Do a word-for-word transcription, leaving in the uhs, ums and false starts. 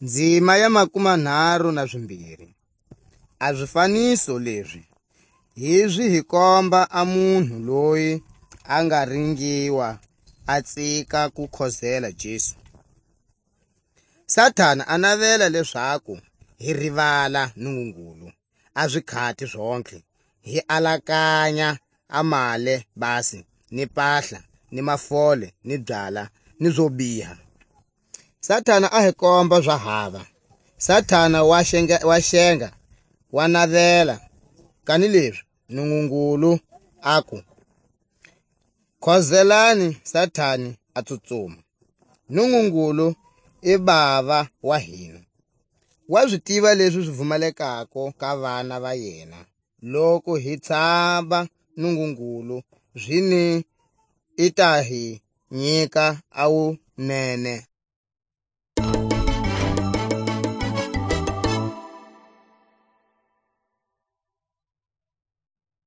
Ndzima ya makumanharu na zimbiri. A zifaniso lezi hi zi hi komba a munhu loyi a nga ringiwa a tsika ku khozela Jesu. Satana a navela lezaku hi rivala Nungungulu a zikhati zontlhe, hi alakanya a male basi, ni pahla, ni mafole, ni byala, ni zo biha. Satana a hi komba za hava. Satana wa xenga, wa xenga, wa navela, kanilezi Nungungulu aku, "Khozelani Satani a tsutsuma." Nungungulu i bava wa hina. Wa zi tiva lezi zi vumalekako ka vana va yena. Loku hi tshaba Nungungulu, zini i ta hi nyika a wunene